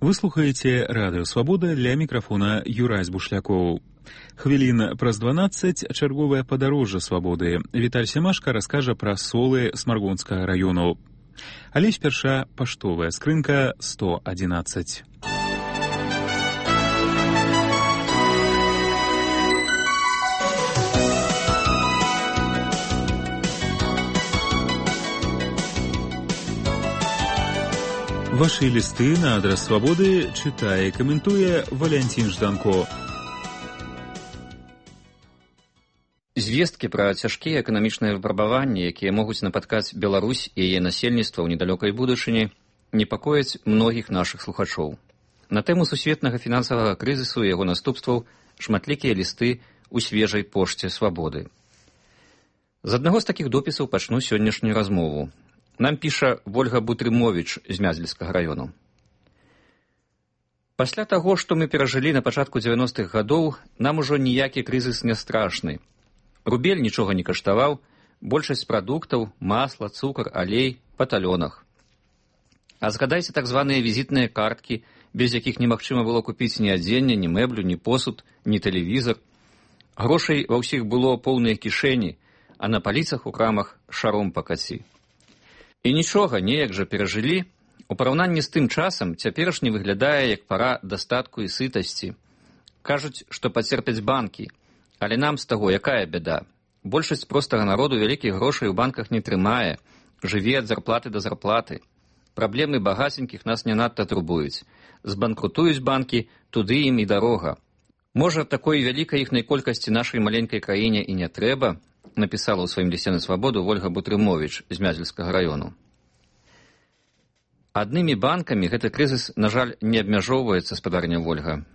Вы слухаеце Радыё Свабода, ля мікрафона Юрай Бушлякоў. Хвілін праз 12 чарговае падарожжа свабоды. Віталь Семашка раскажа пра солы Смаргонскага раёну. Але спярша паштовая скрынка 111. Ваши листы на адрес Свободы читае і каментуе Валянцін Жданко. Звесткі пра цяжкія эканамічныя выпрабаванні, якія могуць напаткаць Беларусь і яе насельніцтва ў недалёкай будучыні, непакояць многіх нашых слухачоў. На тэму сусветнага фінансавага крызісу і яго наступстваў шматлікія лісты ў свежай пошце Свабоды. З аднаго з такіх допісаў пачну сённяшнюю размову. Нам піша Вольга Бутрымовіч з Мязельскага раёну. Пасля таго, што мы перажылі на пачатку 90-х гадоў, нам ужо ніякі крызіс не страшны. Рубель нічога не каштаваў, большасць прадуктаў, масла, цукар, алей па талёнах. А згадайце так званыя візітныя карткі, без якіх немагчыма было купіць ні адзення, ні мэблю, ні посуд, ні тэлевізар. Грошай ва ўсіх было поўныя кішэні, а на паліцах у крамах шаром пакаці. І нічога, неяк жа перажылі. У параўнанні з тым часам цяперашні выглядае як пара дастатку і сытасці. Кажуць, што пацерпяць банкі, але нам з таго якая бяда? Большасць простага народу вялікіх грошай у банках не трымае, жыве ад зарплаты да зарплаты. Праблемы багаценькіх нас не надта турбуюць. Збанкрутуюць банкі, туды ім і дарога. Можа, такой вялікай іхнай колькасці нашай маленькай краіне і не трэба, напісала ў сваім лісце на Свабоду Вольга Бутрымовіч з Мязельскага раёну. Аднымі банкамі гэты крызіс, на жаль, не абмяжоўваецца, спадарня Вольга.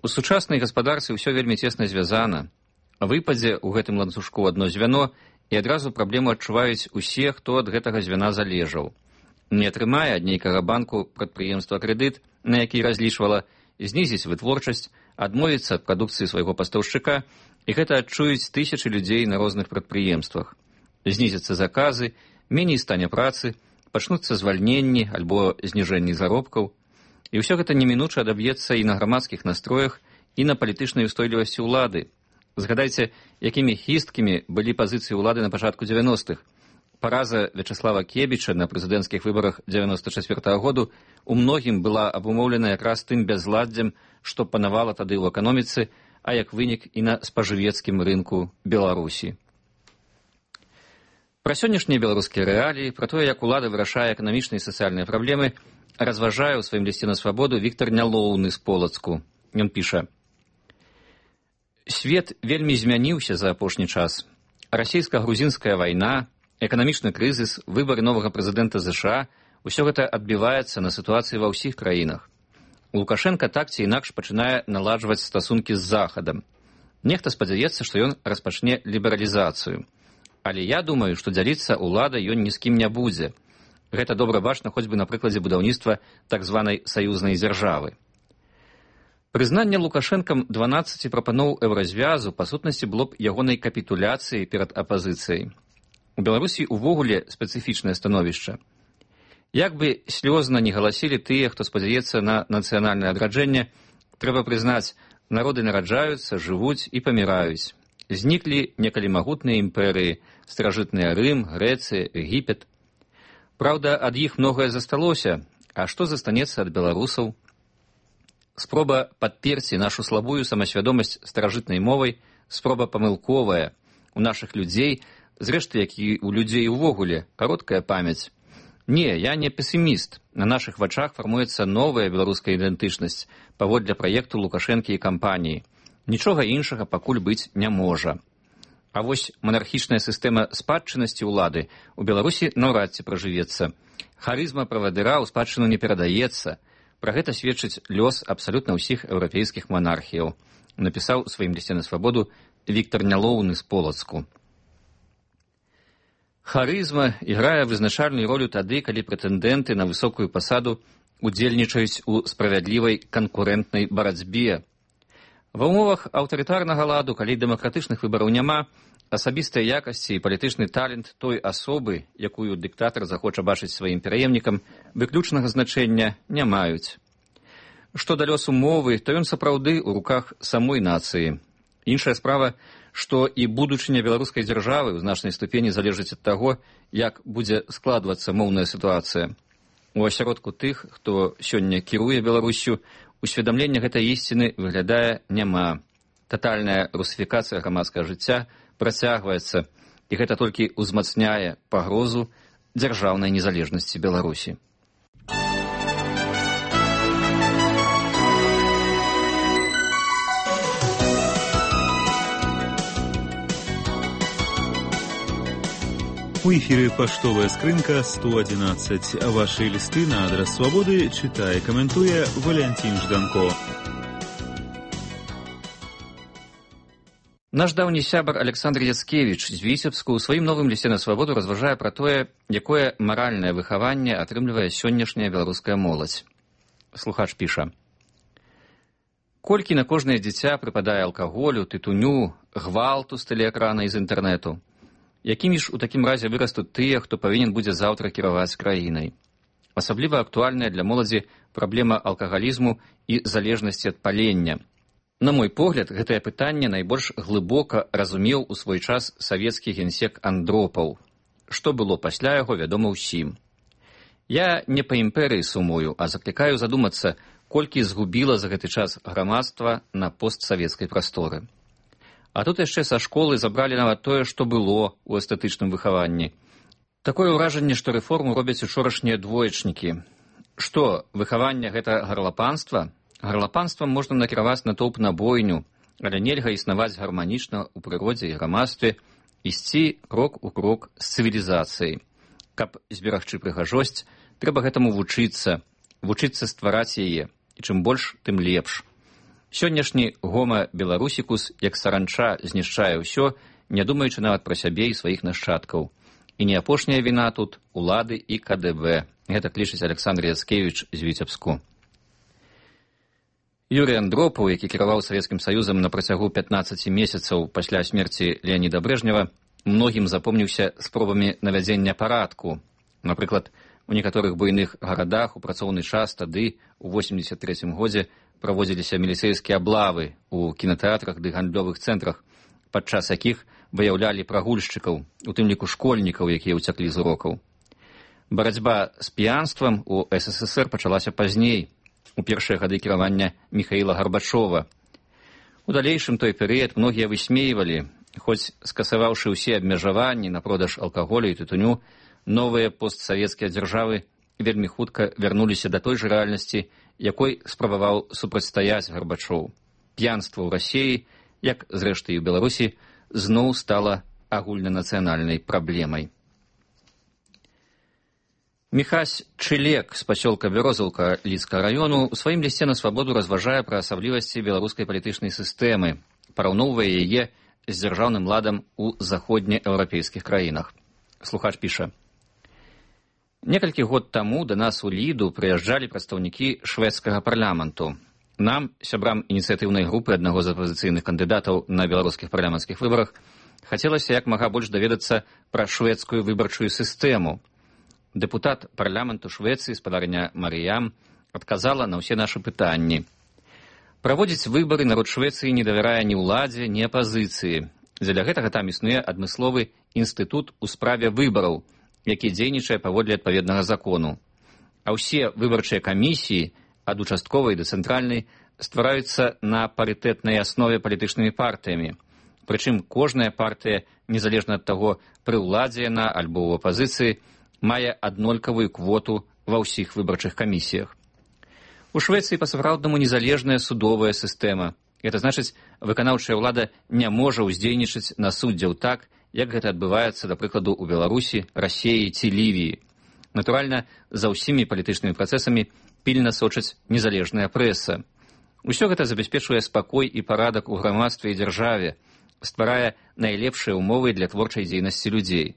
У сучаснай гаспадарцы ўсё вельмі цесна звязана. Выпадзе ў гэтым ланцужку адно звяно, і адразу праблему адчуваюць усе, хто ад гэтага звяна залежаў. Не атрымае ад нейкага банку прадпрыемства крэдыт, на які разлічвала, знізіць вытворчасць, адмовіцца ад прадукцыі свайго пастаўшчыка, і гэта адчуюць тысячы людзей на розных прадпрыемствах. Знізяцца заказы, меней стане працы, пачнуцца звальненні альбо зніжэнні заробкаў. І ўсё гэта немінуча адаб'ецца і на грамадскіх настроях, і на палітычнай устойлівасці ўлады. Згадайце, якімі хісткімі былі пазіцыі ўлады на пачатку 90-х. Параза Вячаслава Кебіча на прэзідэнцкіх выбарах 94-го году у многім была абумоўлена якраз тым бязладдзем, што панавала тады ў эканоміцы, а як вынік і на спажывецкім рынку Беларусі. Пра сённяшнія беларускія рэаліі, пра тое, як улада вырашае эканамічныя і сацыяльныя праблемы, разважае ў сваім лісце на Свабоду Віктар Нялоўны з Полацку. Ён піша: «Свет вельмі змяніўся за апошні час. Расійска-грузінская вайна, эканамічны крызіс, выбары новага прэзідэнта ЗША – усё гэта адбіваецца на сітуацыі ва ўсіх краінах. Лукашенка так ці інакш пачынае наладжваць стасункі з Захадам. Нехта спадзяецца, што ён распачне лібералізацыю. Але я думаю, што дзяліцца ўладай ён ні з кім не будзе. Гэта добра бачна хоць бы на прыкладзе будаўніцтва так званай саюзнай дзяржавы. Прызнанне Лукашэнкам 12 прапаноў еўразвязу па сутнасці было б ягонай капітуляцыяй перад апазіцыяй. У Беларусі ўвогуле спецыфічнае становішча. Як бы слёзна не галасілі тыя, хто спадзяецца на нацыянальнае адраджэнне, трэба прызнаць, народы нараджаюцца, жывуць і паміраюць. Зніклі некалі магутныя імперыі, старажытныя Рым, Грэцыя, Егіпет. Праўда, ад іх многае засталося, а што застанецца ад беларусаў? Спроба падперці нашу слабую самасвядомасць старажытнай мовай, спроба памылковая. У нашых людзей, зрэшты, як і у людзей увогуле, кароткая памяць. Не, я не песіміст. На нашых вачах фармуецца новая беларуская ідэнтычнасць паводле праекту Лукашэнкі і кампаніі. Нічога іншага пакуль быць не можа. А вось манархічная сістэма спадчыннасці ўлады у Беларусі наўрад ці пражывецца. Харызма правадыра ў спадчыну не перадаецца. Пра гэта сведчыць лёс абсалютна ўсіх еўрапейскіх манархіяў, напісаў у сваім лісце на Свабоду Віктар Нялоўны з Полацку. Харызма іграе вызначальную ролю тады, калі прэтэндэнты на высокую пасаду удзельнічаюць у справядлівай канкурэнтнай барацьбе. Ва ўмовах аўтарытарнага ладу, калі дэмакратычных выбараў няма, асабістыя якасці і палітычны талент той асобы, якую дыктатар захоча бачыць сваім пераемнікам, выключнага значэння не маюць. Што да лёсу мовы, то ён сапраўды ў руках самой нацыі. Іншая справа, што і будучыня беларускай дзяржавы ў значнай ступені залежыць ад таго, як будзе складвацца моўная сітуацыя. У асяродку тых, хто сёння кіруе Беларуссю, усведамлення гэтай ісціны выглядае няма. Татальная русіфікацыя грамадскага жыцця працягваецца, і гэта толькі ўзмацняе пагрозу дзяржаўнай незалежнасці Беларусі. У эфіры паштовая скрынка 111. Вашы лісты на адрас Свабоды чытае, каментуе Валянцін Жданко. Наш даўні сябар Александр Яцкевіч з Віцебску ў сваім новым лісце на Свабоду разважае пра тое, якое маральнае выхаванне атрымлівае сённяшняя беларуская моладзь. Слухач піша: «Колькі на кожнае дзіця прыпадае алкаголю, тытуню, гвалту з тэлеэкрана і з інтэрнэту? Якімі ж у такім разе вырастуць тыя, хто павінен будзе заўтра кіраваць краінай? Асабліва актуальная для моладзі праблема алкагалізму і залежнасці ад палення. На мой погляд, гэтае пытанне найбольш глыбока разумеў у свой час савецкі генсек Андропаў. Што было пасля яго, вядома ўсім. Я не па імперыі сумую, а заклікаю задумацца, колькі згубіла за гэты час грамадства на постсавецкай прасторы. А тут яшчэ са школы забралі нават тое, што было ў эстэтычным выхаванні. Такое ўражанне, што рэформу робяць учорашнія двоечнікі. Што, выхаванне гэта гарлапанства? Гарлапанствам можна накіраваць натоўп на бойню, але нельга існаваць гарманічна ў прыродзе і грамадстве, ісці крок у крок з цывілізацыяй. Каб зберагчы прыгажосць, трэба гэтаму вучыцца ствараць яе, і чым больш, тым лепш. Сённяшні гома беларусікус, як саранча, знішчае ўсё, не думаючы нават пра сябе і сваіх нашчадкаў. І не апошняя віна тут улады і КДБ. Гэта лічыць Александр Яцкевіч з Віцебску. Юрый Андропаў, які кіраваў Савецкім Саюзам на працягу 15 месяцаў пасля смерці Леаніда Брэжнева, многім запомніўся спробамі навядзення парадку. Напрыклад, у некаторых буйных гарадах у працоўны час тады, у 83 годзе, праводзіліся міліцэйскія аблавы ў кінатэатрах ды гандлёвых цэнтрах, падчас якіх выяўлялі прагульшчыкаў, у тым ліку школьнікаў, якія ўцяклі з урокаў. Барацьба з п'янствам у СССР пачалася пазней, у першыя гады кіравання Міхаіла Гарбачова. У далейшым той перыяд многія высмейвалі, хоць скасаваўшы ўсе абмежаванні на продаж алкаголю і тытуню, новыя постсавецкія дзяржавы вельмі хутка вярнуліся да той жа рэальнасці, якой спрабаваў супрацьстаяць Гарбачоў. П'янства ў Расіі, як зрэшты і ў Беларусі, зноў стала агульнанацыянальнай праблемай. Міхась Чылек з пасёлка Бярозаўка Лідскага раёну ў сваім лісце на Свабоду разважае пра асаблівасці беларускай палітычнай сістэмы, параўноўвае яе з дзяржаўным ладам у заходнееўрапейскіх краінах. Слухач піша: «Некалькі год таму да нас у Ліду прыязджалі прадстаўнікі шведскага парламенту. Нам, сябрам ініцыятыўнай групы аднаго з апазіцыйных кандыдатаў на беларускіх парламенцкіх выбарах, хацелася як мага больш даведацца пра шведскую выбарчую сістэму. Дэпутат парламенту Швецыі, спадарня Марыям, адказала на ўсе нашы пытанні. Праводзіць выбары народ Швецыі не давярае ні ўладзе, ні апазіцыі. Дзеля гэтага там існуе адмысловы інстытут у справе выбараў, які дзейнічае паводле адпаведнага закону. А ўсе выбарчыя камісіі, ад участковай да цэнтральнай, ствараюцца на парытэтнай аснове палітычнымі партыямі. Прычым кожная партыя, незалежна ад таго, пры ўладзе яна альбо ў апазіцыі, мае аднолькавую квоту ва ўсіх выбарчых камісіях. У Швецыі па-сапраўднаму незалежная судовая сістэма. Гэта значыць, выканаўчая ўлада не можа ўздзейнічаць на суддзяў так, як гэта адбываецца, да прыкладу, у Беларусі, Расіі ці Лівіі. Натуральна, за ўсімі палітычнымі працэсамі пільна сочыць незалежная прэса. Усё гэта забяспечвае спакой і парадак у грамадстве і дзяржаве, стварае найлепшыя ўмовы для творчай дзейнасці людзей.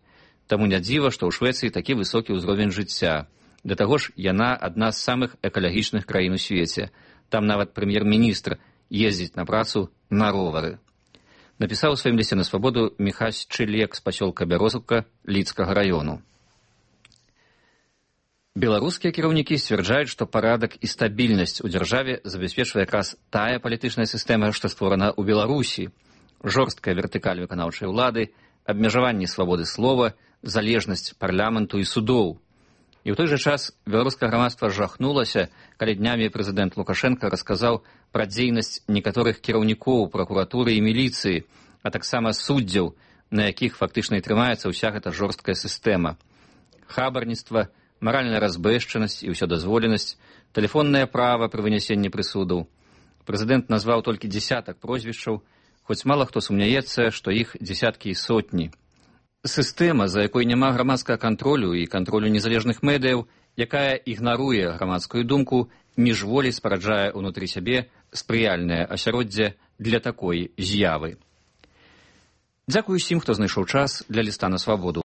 Таму не дзіва, што ў Швецыі такі высокі ўзровень жыцця. Да таго ж, яна адна з самых экалагічных краін у свеце. Там нават прэм'ер-міністр ездзіць на працу на ровары. Напісаў у сваім лісце на Свабоду Міхась Чылек з пасёлка Бярозаўка Лідскага раёну. Беларускія кіраўнікі сцвярджаюць, што парадак і стабільнасць у дзяржаве забяспечвае якраз тая палітычная сістэма, што створана ў Беларусі. Жорсткая вертыкаль выканаўчай улады, абмежаванне свабоды слова, залежнасць парламенту і судоў. І ў той жа час беларускае грамадства жахнулася, калі днямі прэзідэнт Лукашенка расказаў пра дзейнасць некаторых кіраўнікоў пракуратуры і міліцыі, а таксама суддзяў, на якіх фактычна і трымаецца ўся гэта жорсткая сістэма. Хабарніцтва, маральная разбэшчанасць і ўсёдазволенасць, тэлефоннае права пры вынясенні прысудаў. Прэзідэнт назваў толькі дзесятак прозвішчаў, хоць мала хто сумняецца, што іх дзесяткі і сотні. Сістэма, за якой няма грамадскага кантролю і кантролю незалежных медыяў, якая ігнаруе грамадскую думку, міжволі спараджае ўнутры сябе спрыяльнае асяроддзе для такой з'явы. Дзякую усім, хто знайшоў час для ліста на свабоду.